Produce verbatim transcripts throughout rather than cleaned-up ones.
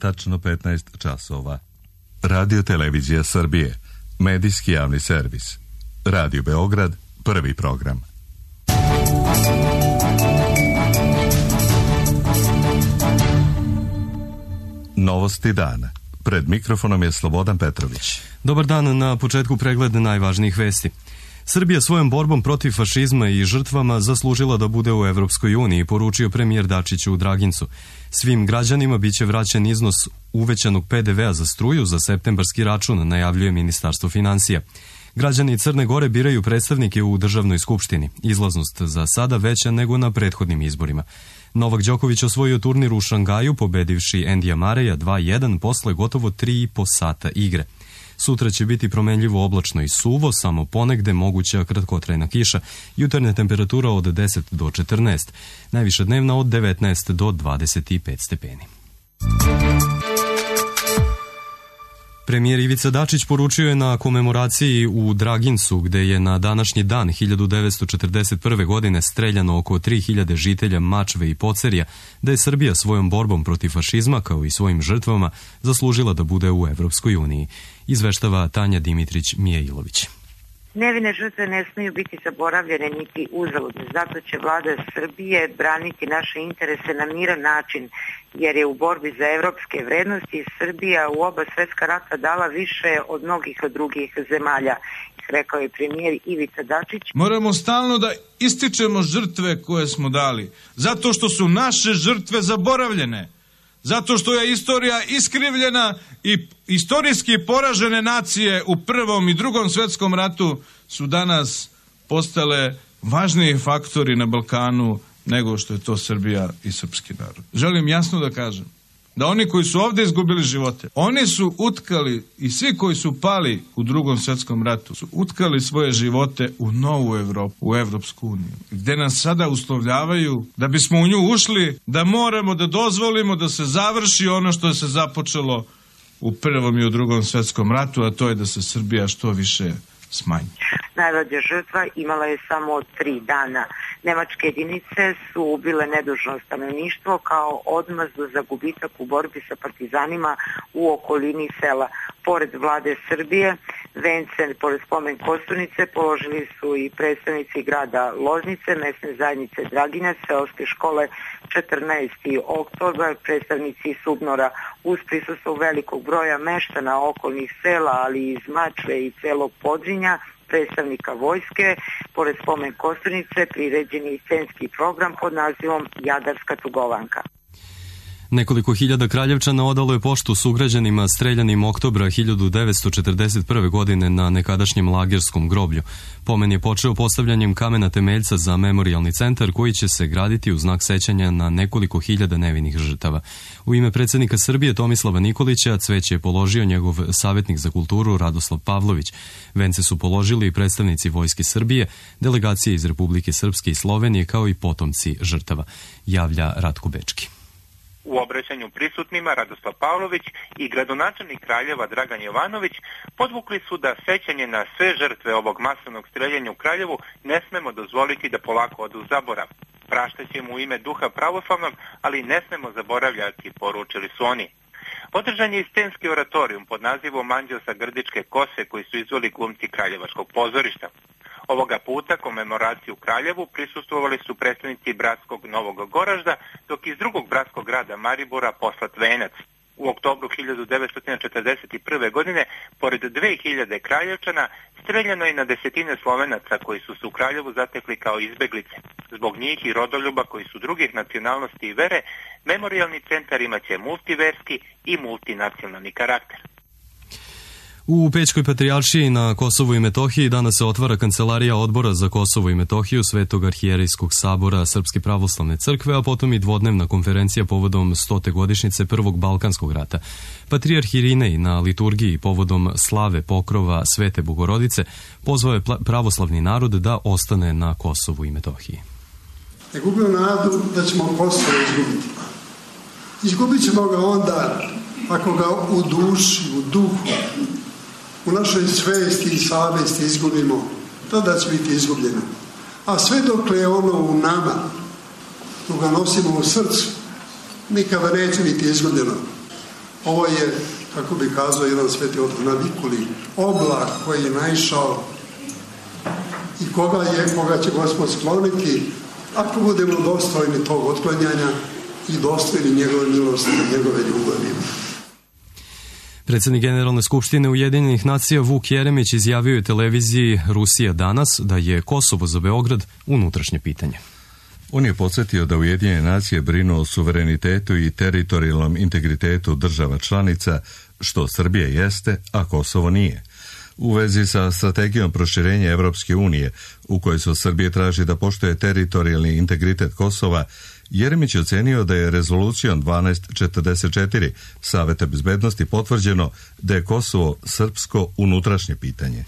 tačno petnaest časova. Radio Televizija Srbije, medijski javni servis. Radio Beograd, prvi program. Novosti dana. Pred mikrofonom je Slobodan Petrović. Dobar dan, na početku pregled najvažnijih vesti. Srbija svojom borbom protiv fašizma i žrtvama zaslužila da bude u Evropskoj uniji, poručio premijer Dačić u Dragincu. Svim građanima biće vraćen iznos uvećanog pe de vea za struju za septembarski račun, najavljuje Ministarstvo finansija. Građani Crne Gore biraju predstavnike u državnoj skupštini. Izlaznost za sada veća nego na prethodnim izborima. Novak Đoković osvojio turnir u Šangaju, pobedivši Endija Mareja dva jedan posle gotovo tri i po sata igre. Sutra će biti promenljivo oblačno i suvo, samo ponegde moguća kratkotrajna kiša. Jutarnja temperatura od deset do četrnaest, najviša dnevna od devetnaest do dvadeset pet stepeni. Premijer Ivica Dačić poručio je na komemoraciji u Dragincu, gde je na današnji dan hiljadu devetsto četrdeset prve. godine streljano oko tri hiljade žitelja Mačve i Pocerja, da je Srbija svojom borbom protiv fašizma, kao i svojim žrtvama, zaslužila da bude u Evropskoj uniji. Izveštava Tanja Dimitrić-Mijailović. Nevine žrtve ne smiju biti zaboravljene niti uzaludne. Zato će vlada Srbije braniti naše interese na miran način, jer je u borbi za evropske vrednosti Srbija u oba svetska rata dala više od mnogih drugih zemalja, rekao je premijer Ivica Dačić. Moramo stalno da ističemo žrtve koje smo dali, zato što su naše žrtve zaboravljene. Zato što je istorija iskrivljena i istorijski poražene nacije u Prvom i Drugom svetskom ratu su danas postale važniji faktori na Balkanu nego što je to Srbija i srpski narod. Želim jasno da kažem da oni koji su ovdje izgubili živote, oni su utkali, i svi koji su pali u Drugom svetskom ratu, su utkali svoje živote u novu Evropu, u Evropsku uniju, gde nas sada uslovljavaju da bismo u nju ušli, da moramo da dozvolimo da se završi ono što je se započelo u Prvom i u Drugom svetskom ratu, a to je da se Srbija što više smanji. Najmlađa žrtva imala je samo tri dana. Nemačke jedinice su ubile nedužno stanovništvo kao odmazdu za gubitak u borbi sa partizanima u okolini sela. Pored vlade Srbije, vence pored spomen Kosturnice položili su i predstavnici grada Loznice, mesne zajednice Draginac, seoske škole četrnaesti oktobar, predstavnici Subnora, uz prisustvo velikog broja meštana okolnih sela, ali i iz Mačve i celog Podrinja, predstavnika vojske. Pored spomen Kosturnice priređen je i scenski program pod nazivom Jadarska tugovanka. Nekoliko hiljada Kraljevčana odalo je poštu sugrađanima streljanim oktobra hiljadu devetsto četrdeset prve. godine na nekadašnjem lagerskom groblju. Pomen je počeo postavljanjem kamena temeljca za memorijalni centar koji će se graditi u znak sećanja na nekoliko hiljada nevinih žrtava. U ime predsjednika Srbije Tomislava Nikolića cveće je položio njegov savjetnik za kulturu Radoslav Pavlović. Vence su položili i predstavnici Vojske Srbije, delegacije iz Republike Srpske i Slovenije, kao i potomci žrtava, javlja Ratko Bečki. U obraćanju prisutnima Radoslav Pavlović i gradonačelnik Kraljeva Dragan Jovanović podvukli su da sećanje na sve žrtve ovog masovnog streljanja u Kraljevu ne smemo dozvoliti da polako odu u zaborav. Praštaćemo u ime duha pravoslavnog, ali ne smemo zaboravljati, poručili su oni. Održan je i scenski oratorijum pod nazivom Anđeo sa grdičke kose koji su izveli glumci Kraljevačkog pozorišta. Ovoga puta komemoraciju u Kraljevu prisustvovali su predstavnici bratskog Novog Goražda, dok iz drugog bratskog grada Maribora poslat venac. U oktobru hiljadu devetsto četrdeset prve. godine, pored dve hiljade Kraljevčana, streljano je na desetine Slovenaca koji su se u Kraljevu zatekli kao izbeglice. Zbog njih i rodoljuba koji su drugih nacionalnosti i vere, memorijalni centar imaće multiverski i multinacionalni karakter. U Pećkoj patrijaršiji na Kosovu i Metohiji danas se otvara kancelarija Odbora za Kosovo i Metohiju Svetog arhijerejskog sabora Srpske pravoslavne crkve, a potom i dvodnevna konferencija povodom stote godišnjice Prvog Balkanskog rata. Patrijarh Irinej na liturgiji povodom slave pokrova Svete Bogorodice pozvao je pravoslavni narod da ostane na Kosovu i Metohiji. Ne gubimo nadu da ćemo Kosovo izgubiti. Izgubit ćemo ga onda ako ga u duši, u duhu, u našoj svesti i savesti izgubimo, tada će biti izgubljeno. A sve dokle je ono u nama, dok ga nosimo u srcu, nikada neće biti izgubljeno. Ovo je, kako bi kazao jedan sveti otac Navikuli, oblak koji je naišao i koga je, koga će Gospod skloniti ako budemo dostojni tog otklanjanja i dostojni njegove milosti i njegove ljubavi. Predsjednik Generalne skupštine Ujedinjenih nacija Vuk Jeremić izjavio je televiziji Rusija danas da je Kosovo za Beograd unutrašnje pitanje. On je podsjetio da Ujedinjene nacije brinu o suverenitetu i teritorijalnom integritetu država članica, što Srbija jeste, a Kosovo nije. U vezi sa strategijom proširenja Evropske unije, u kojoj se od Srbije traži da poštuje teritorijalni integritet Kosova, Jeremić je ocenio da je rezolucijom dvanaest četrdeset četiri Saveta bezbednosti potvrđeno da je Kosovo srpsko unutrašnje pitanje.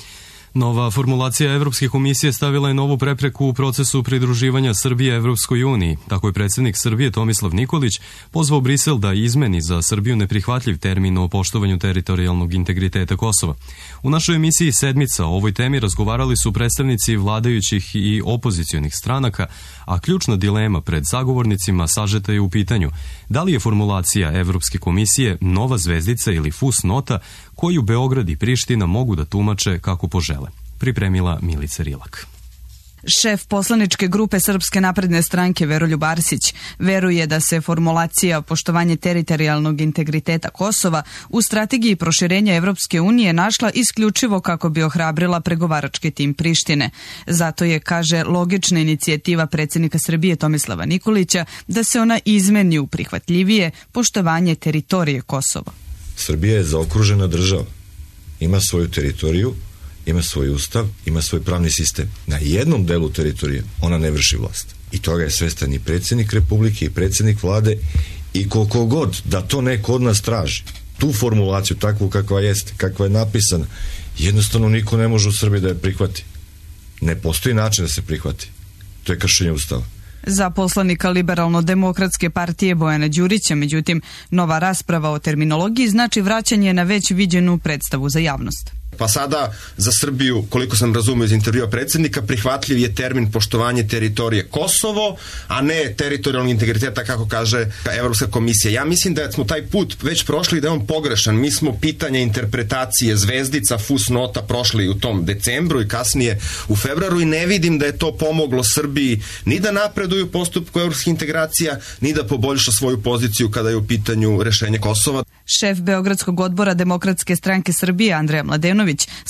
Nova formulacija Evropske komisije stavila je novu prepreku u procesu pridruživanja Srbije Evropskoj uniji. Tako je predsjednik Srbije Tomislav Nikolić pozvao Brisel da izmeni za Srbiju neprihvatljiv termin o poštovanju teritorijalnog integriteta Kosova. U našoj emisiji Sedmica o ovoj temi razgovarali su predstavnici vladajućih i opozicionih stranaka, a ključna dilema pred sagovornicima sažeta je u pitanju da li je formulacija Evropske komisije nova zvezdica ili fusnota koju Beograd i Priština mogu da tumače kako požele. Pripremila Milica Rilak. Šef poslaničke grupe Srpske napredne stranke Veroljub Arsić veruje da se formulacija poštovanje teritorijalnog integriteta Kosova u strategiji proširenja Evropske unije našla isključivo kako bi ohrabrila pregovarački tim Prištine. Zato je, kaže, logična inicijativa predsjednika Srbije Tomislava Nikolića da se ona izmeni u prihvatljivije poštovanje teritorije Kosova. Srbija je zaokružena država. Ima svoju teritoriju, ima svoj ustav, ima svoj pravni sistem. Na jednom delu teritorije ona ne vrši vlast. I toga je svestan i predsjednik Republike i predsjednik vlade i koliko god da to neko od nas traži. Tu formulaciju, takvu kakva jeste, kakva je napisana, jednostavno niko ne može u Srbiji da je prihvati. Ne postoji način da se prihvati. To je kršenje ustava. Za poslanika Liberalno-demokratske partije Bojana Đurića, međutim, nova rasprava o terminologiji znači vraćanje na već viđenu predstavu za javnost. Pa sada za Srbiju, koliko sam razumio iz intervjua predsjednika, prihvatljiv je termin poštovanje teritorije Kosovo, a ne teritorijalnog integriteta, kako kaže Evropska komisija. Ja mislim da smo taj put već prošli i da je on pogrešan. Mi smo pitanje interpretacije zvezdica, fusnota prošli u tom decembru i kasnije u februaru i ne vidim da je to pomoglo Srbiji ni da napreduje u postupku evropskih integracija, ni da poboljša svoju poziciju kada je u pitanju rešenje Kosova. Šef Beogradskog odbora Demokratske stranke Srbije Andreja Mladenović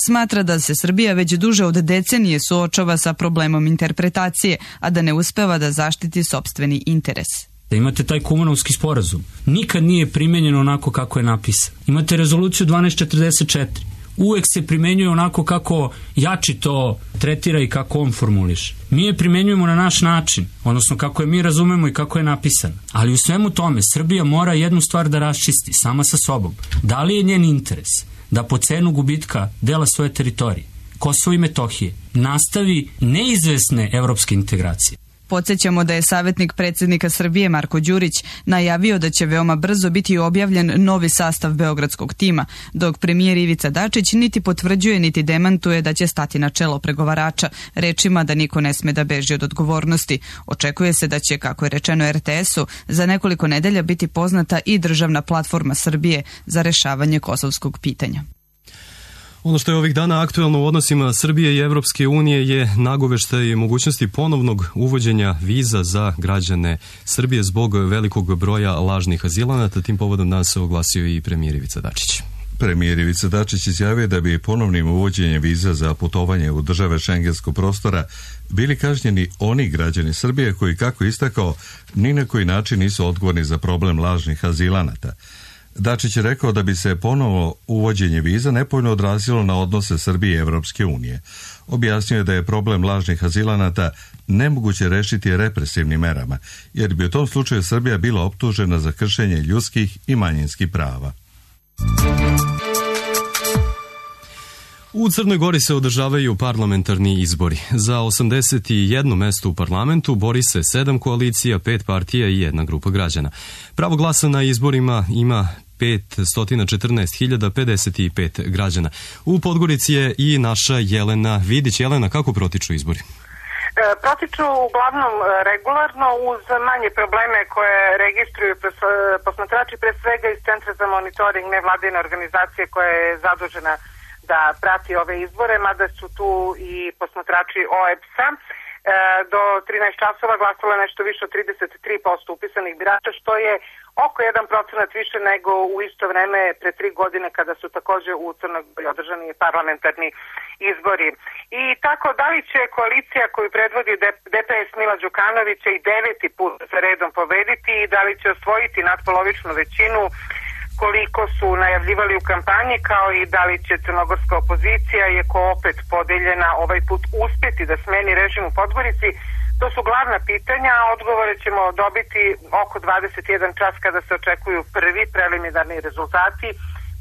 smatra da se Srbija već duže od decenije suočava sa problemom interpretacije, a da ne uspeva da zaštiti sopstveni interes. Da imate taj Kumanovski sporazum. Nikad nije primenjen onako kako je napisan. Imate rezoluciju dvanaest četrdeset četiri. Uvek se primenjuje onako kako jači to tretira i kako on formuliše. Mi je primenjujemo na naš način, odnosno kako je mi razumemo i kako je napisan. Ali u svemu tome Srbija mora jednu stvar da raščisti sama sa sobom. Da li je njen interes da po cenu gubitka dela svoje teritorije, Kosovo i Metohije, nastavi neizvesne evropske integracije? Podsjećamo da je savjetnik predsjednika Srbije Marko Đurić najavio da će veoma brzo biti objavljen novi sastav beogradskog tima, dok premijer Ivica Dačić niti potvrđuje niti demantuje da će stati na čelo pregovarača, rečima da niko ne sme da beži od odgovornosti. Očekuje se da će, kako je rečeno er te esu, za nekoliko nedelja biti poznata i državna platforma Srbije za rešavanje kosovskog pitanja. Ono što je ovih dana aktuelno u odnosima Srbije i Evropske unije je nagoveštaj mogućnosti ponovnog uvođenja viza za građane Srbije zbog velikog broja lažnih azilanata. Tim povodom danas se oglasio i premijer Ivica Dačić. Premijer Ivica Dačić izjavio da bi ponovnim uvođenjem viza za putovanje u države šengenskog prostora bili kažnjeni oni građani Srbije koji, kako istakao, ni na koji način nisu odgovorni za problem lažnih azilanata. Dačić je rekao da bi se ponovo uvođenje viza nepovoljno odrazilo na odnose Srbije i Evropske unije. Objasnio je da je problem lažnih azilanata nemoguće rešiti represivnim merama, jer bi u tom slučaju Srbija bila optužena za kršenje ljudskih i manjinskih prava. U Crnoj Gori se održavaju parlamentarni izbori. Za osamdeset jedno mesto u parlamentu bori se sedam koalicija, pet partija i jedna grupa građana. Pravo glasa na izborima ima petsto četrnaest hiljada pedeset pet građana. U Podgorici je i naša Jelena Vidić. Jelena, kako protiču izbori? protiču uglavnom regularno uz manje probleme koje registruju posmatrači, pre svega iz Centra za monitoring nevladine organizacije koja je zadužena da prati ove izbore, mada su tu i posmatrači O E B S-a. Do trinaest časova glasalo je nešto više od trideset tri posto upisanih birača, što je oko jedan procenat više nego u isto vreme pre tri godine kada su takođe u Crnoj Gori održani parlamentarni izbori. I tako, da li će koalicija koju predvodi D P S Mila Đukanovića i deveti put za redom pobediti i da li će osvojiti nadpolovičnu većinu koliko su najavljivali u kampanji, kao i da li će crnogorska opozicija, iako opet podeljena, ovaj put uspeti da smeni režim u Podgorici. To su glavna pitanja, a odgovore ćemo dobiti oko dvadeset jedan čas kada se očekuju prvi preliminarni rezultati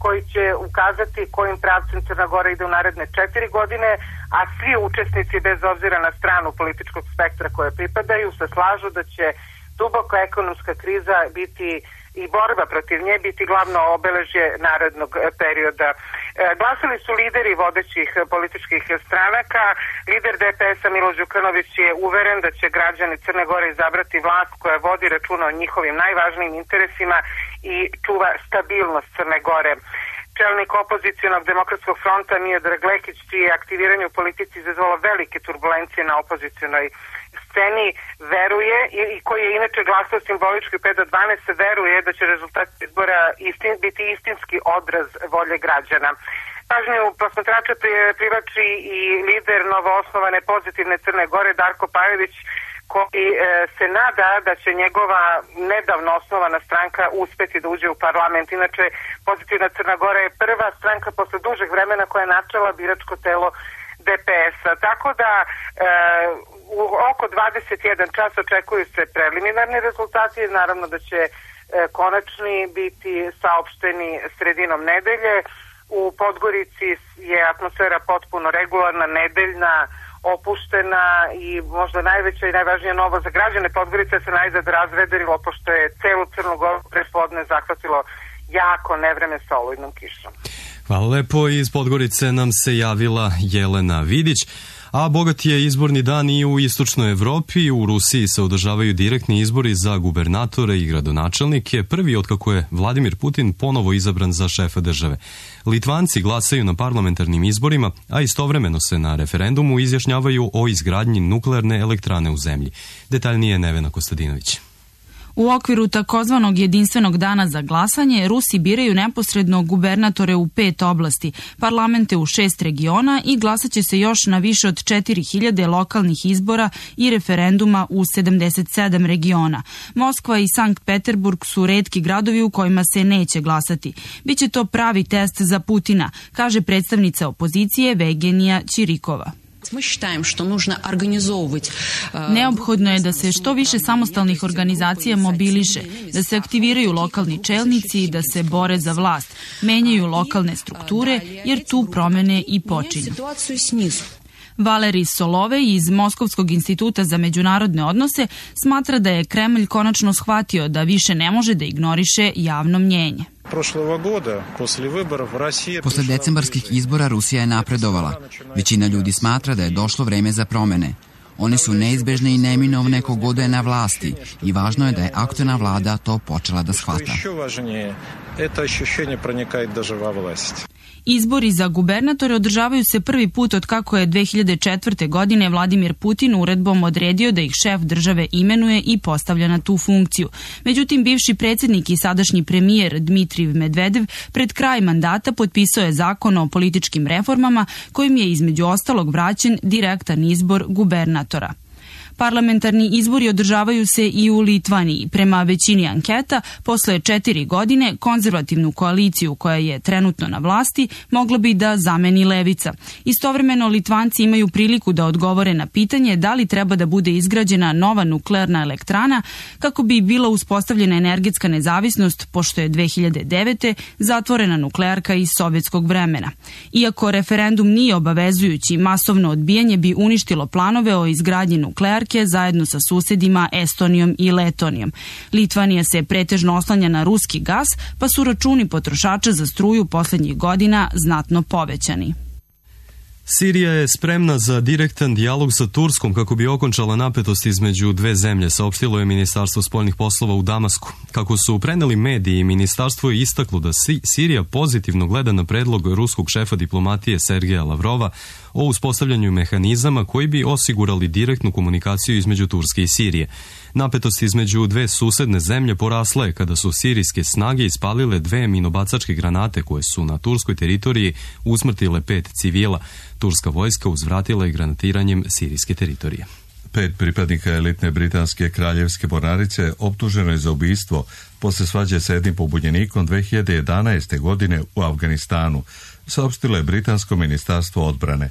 koji će ukazati kojim pravcem Crna Gora ide u naredne četiri godine, a svi učesnici, bez obzira na stranu političkog spektra koje pripadaju, se slažu da će duboka ekonomska kriza biti i borba protiv nje biti glavno obeležje narednog perioda. E, glasali su lideri vodećih političkih stranaka. Lider D P S-a Milo Đukanović je uveren da će građani Crne Gore izabrati vlast koja vodi računa o njihovim najvažnijim interesima i čuva stabilnost Crne Gore. Čelnik opozicionog demokratskog fronta Miodrag Lekić, čije aktiviranje u politici izazvalo velike turbulencije na opozicionoj sceni, veruje, i koji je inače glasao simbolički pet do dvanaest, veruje da će rezultat izbora istin, biti istinski odraz volje građana. Pažnju posmatrača privlači i lider novoosnovane pozitivne Crne Gore Darko Pajović, koji e, se nada da će njegova nedavno osnovana stranka uspeti da uđe u parlament. Inače, pozitivna Crna Gora je prva stranka posle dužeg vremena koja je načela biračko telo D P S-a. Tako da e, u oko dvadeset jedan čas očekuju se preliminarni rezultati, naravno da će e, konačni biti saopšteni sredinom nedelje. U Podgorici je atmosfera potpuno regularna, nedeljna, opuštena i možda najveća i najvažnija novo za građane Podgorice se najzad razvederilo, pošto je celu Crnu Goru prepodne zahvatilo jako nevreme sa olujnom kišom. Hvala lepo, iz Podgorice nam se javila Jelena Vidić. A bogat je izborni dan i u istočnoj Evropi. U Rusiji se održavaju direktni izbori za gubernatore i gradonačelnike, prvi otkako je Vladimir Putin ponovo izabran za šefa države. Litvanci glasaju na parlamentarnim izborima, a istovremeno se na referendumu izjašnjavaju o izgradnji nuklearne elektrane u zemlji. Detaljnije Nevena Kostadinović. U okviru takozvanog jedinstvenog dana za glasanje, Rusi biraju neposredno gubernatore u pet oblasti, parlamente u šest regiona i glasaće se još na više od četiri hiljade lokalnih izbora i referenduma u sedamdeset sedam regiona. Moskva i Sankt Peterburg su retki gradovi u kojima se neće glasati. Biće to pravi test za Putina, kaže predstavnica opozicije Vegenija Ćirikova. Neophodno je da se što više samostalnih organizacija mobiliše, da se aktiviraju lokalni čelnici i da se bore za vlast, menjaju lokalne strukture, jer tu promene i počinju. Valerij Solovej iz Moskovskog instituta za međunarodne odnose smatra da je Kremlj konačno shvatio da više ne može da ignoriše javno mnjenje. Posle decembarskih izbora Rusija je napredovala. Većina ljudi smatra da je došlo vreme za promene. One su neizbežne i neminovne kogod je na vlasti i važno je da je aktuelna vlada to počela da shvata. Izbori za gubernatore održavaju se prvi put od kako je dve hiljade četvrte. godine Vladimir Putin uredbom odredio da ih šef države imenuje i postavlja na tu funkciju. Međutim, bivši predsjednik i sadašnji premijer Dmitrijev Medvedev pred kraj mandata potpisao je zakon o političkim reformama kojim je između ostalog vraćen direktan izbor gubernatora. Parlamentarni izbori održavaju se i u Litvaniji. Prema većini anketa, posle četiri godine, konzervativnu koaliciju koja je trenutno na vlasti mogla bi da zameni levica. Istovremeno, Litvanci imaju priliku da odgovore na pitanje da li treba da bude izgrađena nova nuklearna elektrana kako bi bila uspostavljena energetska nezavisnost, pošto je dve hiljade devete. zatvorena nuklearka iz sovjetskog vremena. Iako referendum nije obavezujući, masovno odbijanje bi uništilo planove o izgradnji nuklearke zajedno sa susedima Estonijom i Letonijom. Litvanija se pretežno oslanja na ruski gas, pa su računi potrošača za struju poslednjih godina znatno povećani. Sirija je spremna za direktan dijalog sa Turskom kako bi okončala napetost između dve zemlje, saopštilo je Ministarstvo spoljnih poslova u Damasku. Kako su preneli mediji, ministarstvo je istaklo da Sirija pozitivno gleda na predlog ruskog šefa diplomatije Sergeja Lavrova o uspostavljanju mehanizama koji bi osigurali direktnu komunikaciju između Turske i Sirije. Napetost između dve susedne zemlje porasla je kada su sirijske snage ispalile dve minobacačke granate koje su na turskoj teritoriji usmrtile pet civila. Turska vojska uzvratila je granatiranjem sirijske teritorije. Pet pripadnika elitne britanske kraljevske mornarice optuženo je za ubistvo posle svađe sa jednim pobunjenikom dve hiljade jedanaeste. godine u Afganistanu, saopštilo je britansko ministarstvo odbrane.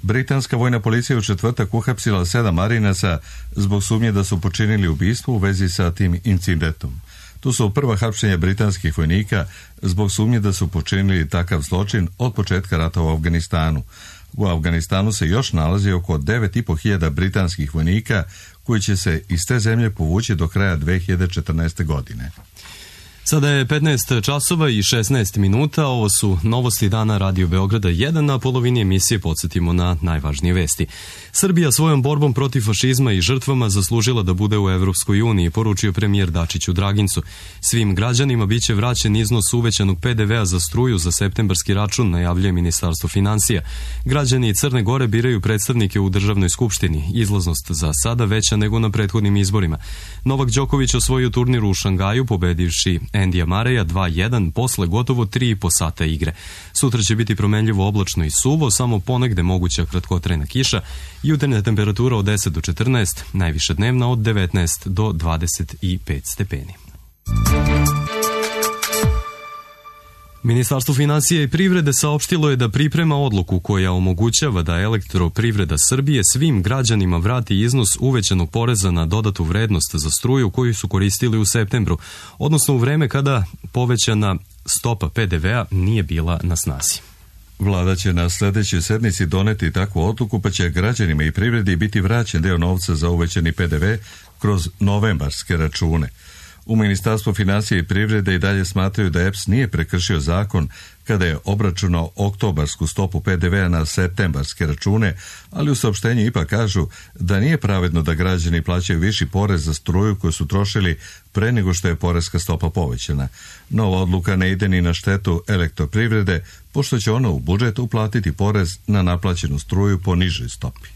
Britanska vojna policija u četvrtak uhapsila sedam marinaca zbog sumnje da su počinili ubistvo u vezi sa tim incidentom. To su prva hapšenja britanskih vojnika zbog sumnje da su počinili takav zločin od početka rata u Afganistanu. U Afganistanu se još nalazi oko devet i po hiljada britanskih vojnika koji će se iz te zemlje povući do kraja dve hiljade četrnaeste. godine. Sada je petnaest časova i šesnaest minuta, ovo su novosti dana Radio Beograda jedan, na polovini emisije podsjetimo na najvažnije vesti. Srbija svojom borbom protiv fašizma i žrtvama zaslužila da bude u Evropskoj uniji, poručio premijer Dačić u Dragincu. Svim građanima biće vraćen iznos uvećanog pe de vea za struju za septembarski račun, najavljuje Ministarstvo finansija. Građani Crne Gore biraju predstavnike u Državnoj skupštini, izlaznost za sada veća nego na prethodnim izborima. Novak Đoković osvojio turnir u Šangaju, pobedivši Endija Mareja dva jedan posle gotovo tri i po sata igre. Sutra će biti promenljivo oblačno i suvo, samo ponegde moguća kratkotrajna kiša, jutarnja temperatura od deset do četrnaest, najviša dnevna od devetnaest do dvadeset pet stepeni. Ministarstvo finansija i privrede saopštilo je da priprema odluku koja omogućava da Elektroprivreda Srbije svim građanima vrati iznos uvećanog poreza na dodatu vrednost za struju koju su koristili u septembru, odnosno u vreme kada povećana stopa pe de vea nije bila na snazi. Vlada će na sljedećoj sednici doneti takvu odluku, pa će građanima i privredi biti vraćen deo novca za uvećani pe de ve kroz novembarske račune. U Ministarstvu finansija i privrede i dalje smatraju da E P S nije prekršio zakon kada je obračunao oktobarsku stopu pe de vea na septembarske račune, ali u saopštenju ipak kažu da nije pravedno da građani plaćaju viši porez za struju koju su trošili pre nego što je poreska stopa povećana. Nova odluka ne ide ni na štetu Elektroprivrede, pošto će ona u budžet uplatiti porez na naplaćenu struju po nižoj stopi.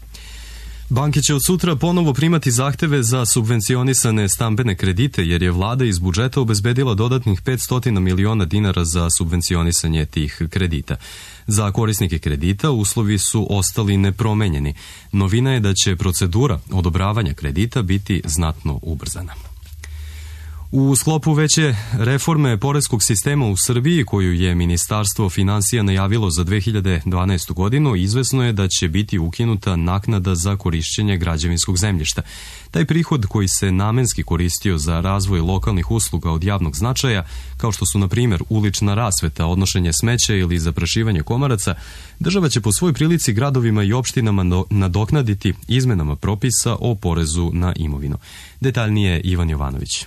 Banke će od sutra ponovo primati zahteve za subvencionisane stambene kredite, jer je vlada iz budžeta obezbedila dodatnih petsto miliona dinara za subvencionisanje tih kredita. Za korisnike kredita uslovi su ostali nepromenjeni. Novina je da će procedura odobravanja kredita biti znatno ubrzana. U sklopu veće reforme poreskog sistema u Srbiji, koju je Ministarstvo finansija najavilo za dve hiljade dvanaestu. godinu, izvesno je da će biti ukinuta naknada za korišćenje građevinskog zemljišta. Taj prihod koji se namenski koristio za razvoj lokalnih usluga od javnog značaja, kao što su na primjer ulična rasveta, odnošenje smeća ili zaprašivanje komaraca, država će po svoj prilici gradovima i opštinama nadoknaditi izmenama propisa o porezu na imovinu. Detaljnije Ivan Jovanović.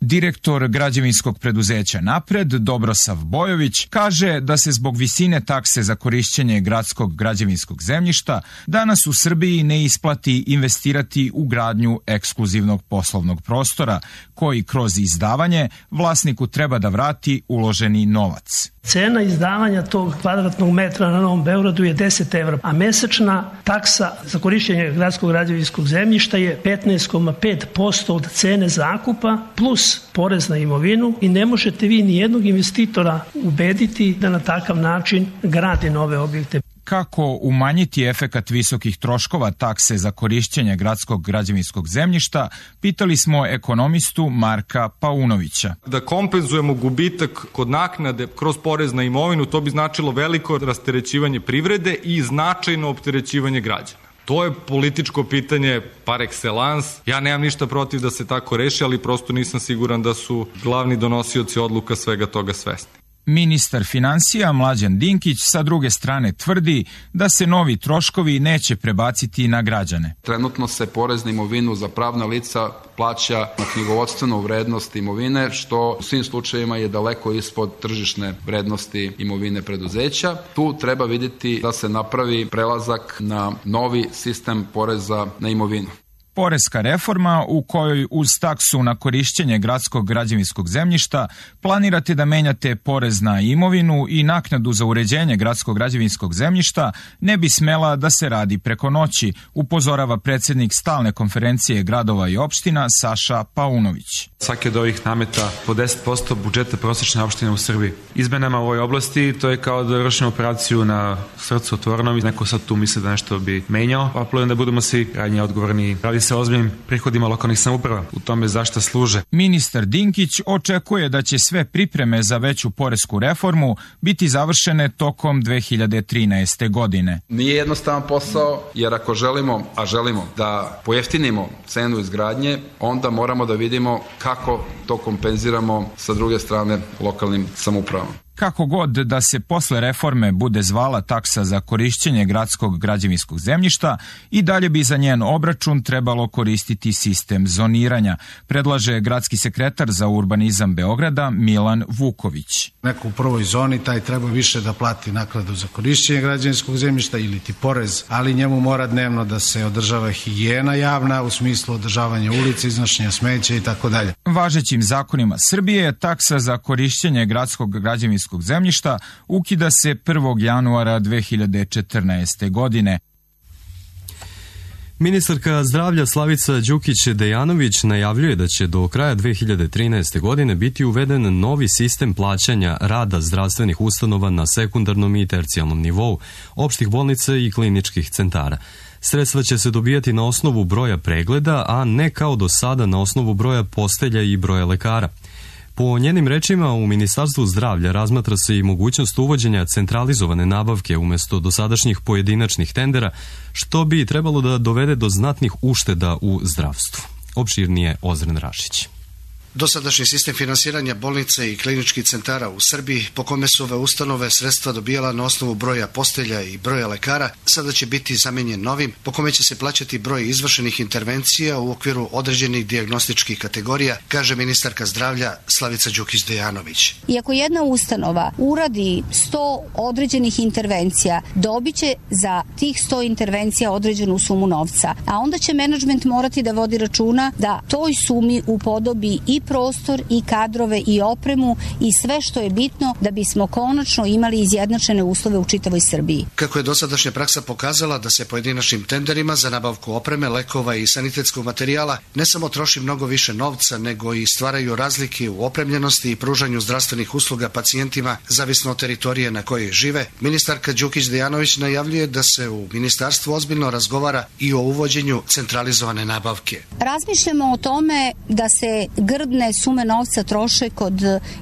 Direktor građevinskog preduzeća Napred, Dobrosav Bojović, kaže da se zbog visine takse za korišćenje gradskog građevinskog zemljišta danas u Srbiji ne isplati investirati u gradnju ekskluzivnog poslovnog prostora, koji kroz izdavanje vlasniku treba da vrati uloženi novac. Cena izdavanja tog kvadratnog metra na Novom Beogradu je deset evra, a mesečna taksa za korišćenje gradskog građevinskog zemljišta je petnaest zarez pet posto od cene zakupa plus porez na imovinu i ne možete vi ni jednog investitora ubediti da na takav način gradi nove objekte. Kako umanjiti efekat visokih troškova takse za korišćenje gradskog građevinskog zemljišta, pitali smo ekonomistu Marka Paunovića. Da kompenzujemo gubitak kod naknade kroz porez na imovinu, to bi značilo veliko rasterećivanje privrede i značajno opterećivanje građana. To je političko pitanje par excellence. Ja nemam ništa protiv da se tako reši, ali prosto nisam siguran da su glavni donosioci odluka svega toga svesni. Ministar financija Mlađan Dinkić sa druge strane tvrdi da se novi troškovi neće prebaciti na građane. Trenutno se porez na imovinu za pravna lica plaća na knjigovodstvenu vrednost imovine, što u svim slučajevima je daleko ispod tržišne vrednosti imovine preduzeća. Tu treba vidjeti da se napravi prelazak na novi sistem poreza na imovinu. Poreska reforma u kojoj uz taksu na korišćenje gradskog građevinskog zemljišta planirate da menjate porez na imovinu i naknadu za uređenje gradskog građevinskog zemljišta ne bi smela da se radi preko noći, upozorava predsjednik stalne konferencije gradova i opština Saša Paunović. Svaki od ovih nameta po deset posto budžeta prosječne opštine u Srbiji. Izmenama u ovoj oblasti to je kao da vršimo operaciju na srcu otvorenom i neko sad tu misli da nešto bi menjao. Apelujem da budemo svi krajnje odgovorni. Radi se o ozbiljnim prihodima lokalnih samouprava. U tome zašta služe. Ministar Dinkić očekuje da će sve pripreme za veću poresku reformu biti završene tokom dve hiljade trinaeste. godine. Nije jednostavan posao, jer ako želimo, a želimo da pojeftinimo cenu izgradnje, onda moramo da vidimo kako to kompenziramo sa druge strane lokalnim samoupravama. Kako god da se posle reforme bude zvala taksa za korišćenje gradskog građevinskog zemljišta, i dalje bi za njen obračun trebalo koristiti sistem zoniranja, predlaže gradski sekretar za urbanizam Beograda Milan Vuković. Neko u prvoj zoni taj treba više da plati naknadu za korišćenje građevinskog zemljišta ili ti porez, ali njemu mora dnevno da se održava higijena javna u smislu održavanja ulice, iznošenja smeća i tako dalje. Važećim zakonima Srbije taksa za korišćenje gradskog građevinskog zemljišta ukida se prvog januara dve hiljade četrnaeste. godine. Ministarka zdravlja Slavica Đukić-Dejanović najavljuje da će do kraja dve hiljade trinaeste. godine biti uveden novi sistem plaćanja rada zdravstvenih ustanova na sekundarnom i tercijalnom nivou, opštih bolnica i kliničkih centara. Sredstva će se dobijati na osnovu broja pregleda, a ne kao do sada na osnovu broja postelja i broja lekara. Po njenim rečima, u Ministarstvu zdravlja razmatra se i mogućnost uvođenja centralizovane nabavke umjesto dosadašnjih pojedinačnih tendera, što bi trebalo da dovede do znatnih ušteda u zdravstvu. Opširnije Ozren Rašić. Dosadašnji sistem finansiranja bolnica i kliničkih centara u Srbiji, po kome su ove ustanove sredstva dobijala na osnovu broja postelja i broja lekara, sada će biti zamenjen novim, po kome će se plaćati broj izvršenih intervencija u okviru određenih dijagnostičkih kategorija, kaže ministarka zdravlja Slavica Đukić-Dejanović. Iako jedna ustanova uradi sto određenih intervencija, dobit će za tih sto intervencija određenu sumu novca, a onda će menadžment morati da vodi računa da toj sumi upodobi i prostor i kadrove i opremu i sve što je bitno da bismo konačno imali izjednačene uslove u čitavoj Srbiji. Kako je dosadašnja praksa pokazala da se pojedinačnim tenderima za nabavku opreme, lekova i sanitetskog materijala ne samo troši mnogo više novca, nego i stvaraju razlike u opremljenosti i pružanju zdravstvenih usluga pacijentima zavisno od teritorije na kojoj žive, ministarka Đukić-Dejanović najavljuje da se u ministarstvu ozbiljno razgovara i o uvođenju centralizovane nabavke. Razmišljamo o tome da se grdne sume novca troše kod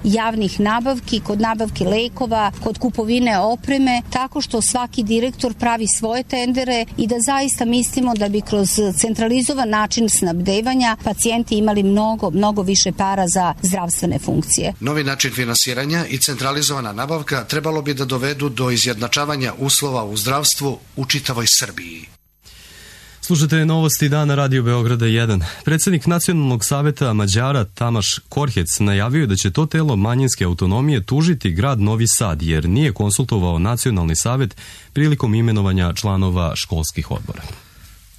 javnih nabavki, kod nabavki lekova, kod kupovine opreme, tako što svaki direktor pravi svoje tendere i da zaista mislimo da bi kroz centralizovan način snabdevanja pacijenti imali mnogo, mnogo više para za zdravstvene funkcije. Novi način finansiranja i centralizovana nabavka trebalo bi da dovedu do izjednačavanja uslova u zdravstvu u čitavoj Srbiji. Slušajte novosti dana Radio Beograda jedan. Predsjednik Nacionalnog saveta Mađara Tamaš Korhec najavio da će to telo manjinske autonomije tužiti grad Novi Sad jer nije konsultovao Nacionalni savet prilikom imenovanja članova školskih odbora.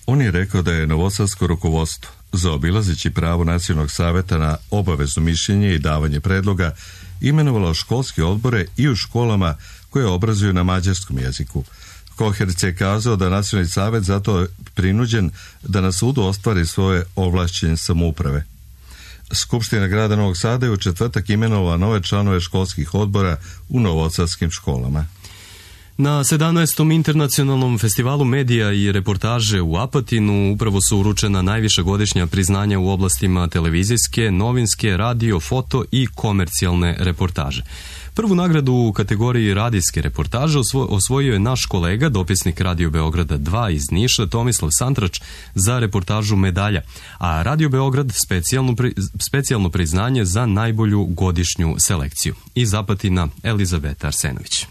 On je rekao da je novosadsko rukovodstvo, zaobilazeći pravo Nacionalnog saveta na obavezno mišljenje i davanje predloga, imenovalo školske odbore i u školama koje obrazuju na mađarskom jeziku. Koherc je kazao da Nacionalni savet zato je prinuđen da na sudu ostvari svoje ovlašćenje samouprave. Skupština grada Novog Sada je u četvrtak imenovala nove članove školskih odbora u novosadskim školama. Na sedamnaestom internacionalnom festivalu medija i reportaže u Apatinu upravo su uručena najviša godišnja priznanja u oblastima televizijske, novinske, radio, foto i komercijalne reportaže. Prvu nagradu u kategoriji radijske reportaže osvojio je naš kolega, dopisnik Radio Beograda dva iz Niša, Tomislav Santrač, za reportažu Medalja, a Radio Beograd specijalno, pri, specijalno priznanje za najbolju godišnju selekciju. Iz Apatina Elizabeta Arsenović.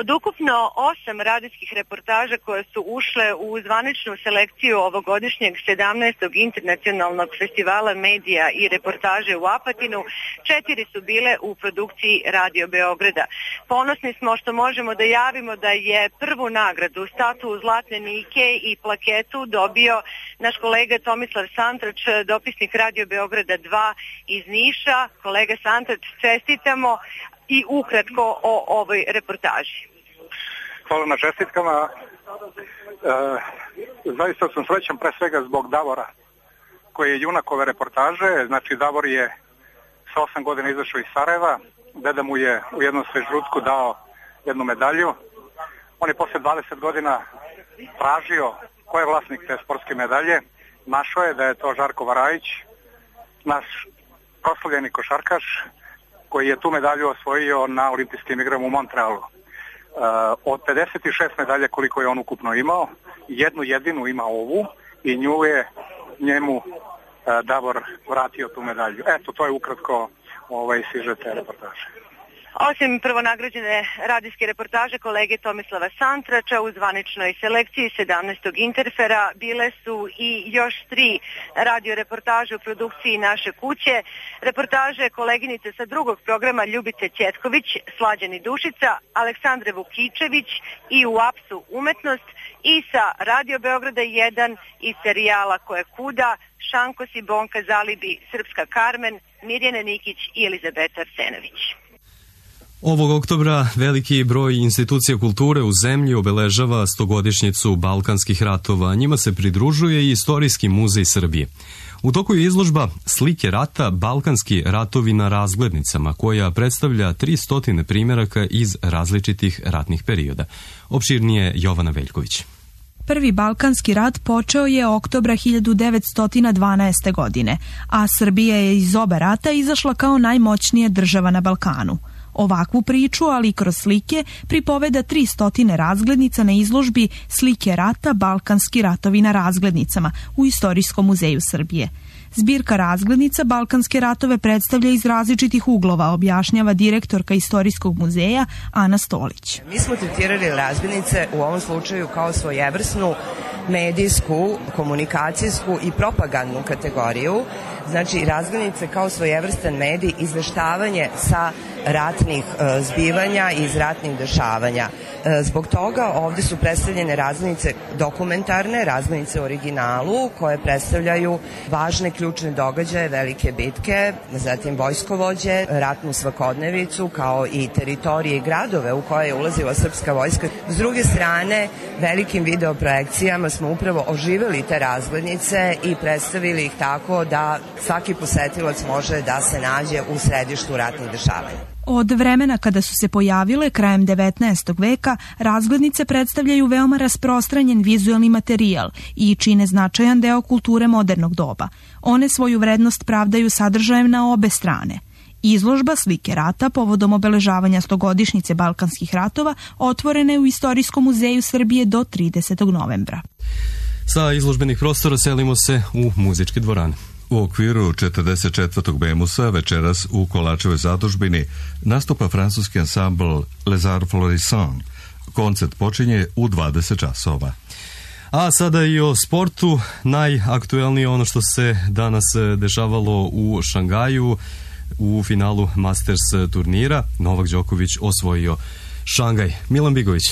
Od ukupno osam radijskih reportaža koje su ušle u zvaničnu selekciju ovogodišnjeg sedamnaestog internacionalnog festivala medija i reportaže u Apatinu, četiri su bile u produkciji Radio Beograda. Ponosni smo što možemo da javimo da je prvu nagradu, statu Zlatne Nike i plaketu dobio naš kolega Tomislav Santrač, dopisnik Radio Beograda dva iz Niša. Kolega Santrač, čestitamo i ukratko o ovoj reportaži. Hvala na čestitkama. E, zaista sam srećan pre svega zbog Davora, koji je junak ove reportaže. Znači, Davor je sa osam godina izašao iz Sarajeva. Deda mu je u jednom svežrutku dao jednu medalju. On je posle dvadeset godina tražio ko je vlasnik te sportske medalje. Našao je da je to Žarko Varajić, naš proslavljeni košarkaš, koji je tu medalju osvojio na olimpijskim igrama u Montrealu. Uh, od pedeset šest medalja koliko je on ukupno imao, jednu jedinu ima ovu i nju je njemu uh, Davor vratio tu medalju. Eto, to je ukratko ovaj sižet te reportaže. Osim prvonagrađene radijske reportaže kolege Tomislava Santrača u zvaničnoj selekciji sedamnaestog Interfera bile su i još tri radio reportaže u produkciji Naše kuće, reportaže koleginice sa drugog programa Ljubice Ćetković, Slađani Dušica, Aleksandre Vukičević i u apsu Umetnost i sa Radio Beograda jedan iz serijala Koje kuda, Šankos i Bonka Zalibi, Srpska Karmen, Mirjana Nikić i Elizabeta Arsenović. Ovog oktobra veliki broj institucija kulture u zemlji obeležava stogodišnjicu Balkanskih ratova. Njima se pridružuje i Istorijski muzej Srbije. U toku je izložba Slike rata Balkanski ratovi na razglednicama, koja predstavlja tristo primjeraka iz različitih ratnih perioda. Opširnije Jovana Veljković. Prvi Balkanski rat počeo je oktobra hiljadu devetsto dvanaeste. godine, a Srbija je iz oba rata izašla kao najmoćnija država na Balkanu. Ovakvu priču, ali i kroz slike, pripoveda tristo razglednica na izložbi Slike rata Balkanski ratovi na razglednicama u Istorijskom muzeju Srbije. Zbirka razglednica Balkanske ratove predstavlja iz različitih uglova, objašnjava direktorka Istorijskog muzeja Ana Stolić. Mi smo tretirali razglednice u ovom slučaju kao svojevrsnu medijsku, komunikacijsku i propagandnu kategoriju. Znači, razglednice kao svojevrstan medij, izveštavanje sa ratnih e, zbivanja i iz ratnih dešavanja. E, zbog toga ovde su predstavljene razglednice dokumentarne, razglednice u originalu, koje predstavljaju važne ključne događaje, velike bitke, zatim vojskovođe, ratnu svakodnevicu, kao i teritorije i gradove u koje je ulazila srpska vojska. S druge strane, velikim videoprojekcijama smo upravo oživeli te razglednice i predstavili ih tako da svaki posetilac može da se nađe u središtu ratnih dešavanja. Od vremena kada su se pojavile krajem devetnaestog veka, razglednice predstavljaju veoma rasprostranjen vizuelni materijal i čine značajan deo kulture modernog doba. One svoju vrednost pravdaju sadržajem na obe strane. Izložba Slike rata povodom obeležavanja stogodišnjice Balkanskih ratova otvorena je u Istorijskom muzeju Srbije do tridesetog novembra. Sa izložbenih prostora selimo se u muzičke dvorane. U okviru četrdeset četvrtog Bemusa večeras u Kolačevoj zadužbini nastupa francuski ansambl Les Arts Florissants. Koncert počinje u dvadeset časova. A sada i o sportu. Najaktuelnije ono što se danas dešavalo u Šangaju u finalu Masters turnira. Novak Đoković osvojio Šangaj. Milan Bigović.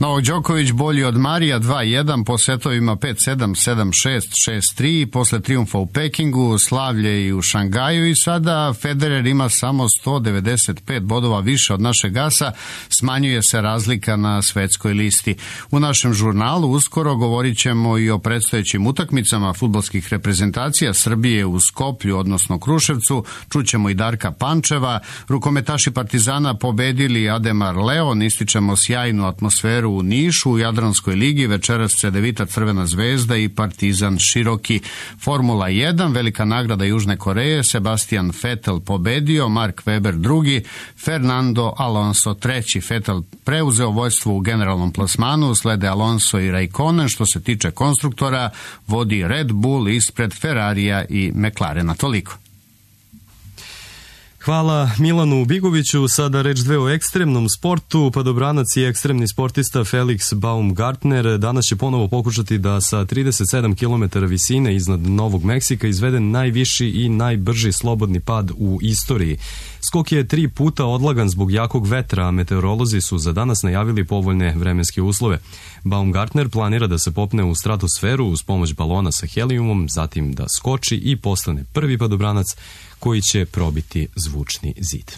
Novak Đoković bolji od Marija dva jedan po setovima pet sedam, sedam šest, šest tri posle trijumfa u Pekingu, slavlje i u Šangaju i sada Federer ima samo sto devedeset pet bodova više od našeg asa, smanjuje se razlika na svetskoj listi. U našem žurnalu uskoro govorit ćemo i o predstojećim utakmicama fudbalskih reprezentacija Srbije u Skoplju, odnosno Kruševcu, čućemo i Darka Pančeva, rukometaši Partizana pobedili Ademar Leon, ističemo sjajnu atmosferu u Nišu, u Jadranskoj ligi, večeras Cedevita Crvena zvezda i Partizan Široki. Formula jedan, velika nagrada Južne Koreje, Sebastian Vettel pobedio, Mark Webber drugi, Fernando Alonso treći. Vettel preuzeo vođstvo u generalnom plasmanu, slede Alonso i Raikkonen, što se tiče konstruktora, vodi Red Bull ispred Ferrarija i McLarena. Toliko. Hvala Milanu Bigoviću. Sada reč dve o ekstremnom sportu. Padobranac i ekstremni sportista Felix Baumgartner danas će ponovo pokušati da sa trideset sedam kilometara visine iznad Novog Meksika izvede najviši i najbrži slobodni pad u istoriji. Skok je tri puta odlagan zbog jakog vetra, a meteorolozi su za danas najavili povoljne vremenske uslove. Baumgartner planira da se popne u stratosferu uz pomoć balona sa helijumom, zatim da skoči i postane prvi padobranac koji će probiti zvučni zid.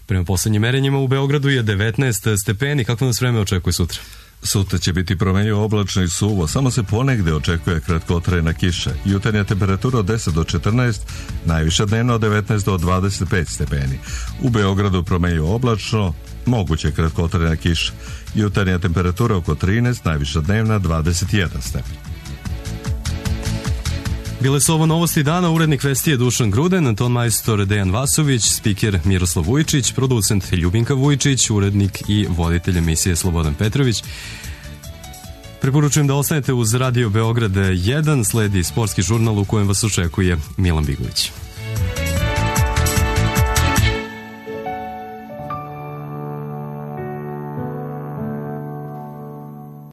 Prema poslednjim merenjima u Beogradu je devetnaest stepeni. Kako nas vreme očekuje sutra? Sutra će biti promenljivo oblačno i suvo, samo se ponegde očekuje kratkotrajna kiša. Jutarnja temperatura od deset do četrnaest, najviša dnevno od devetnaest do dvadeset pet stepeni. U Beogradu promenljivo oblačno, moguće kratkotrajna kiša. Jutarnja temperatura oko trinaest, najviša dnevna dvadeset jedan stepen. Bile su ovo novosti dana, urednik vesti je Dušan Gruden, ton majstor Dejan Vasović, spiker Miroslav Vujčić, producent Ljubinka Vujčić, urednik i voditelj emisije Slobodan Petrović. Preporučujem da ostanete uz Radio Beograd jedan, sledi sportski žurnal u kojem vas očekuje Milan Bigović.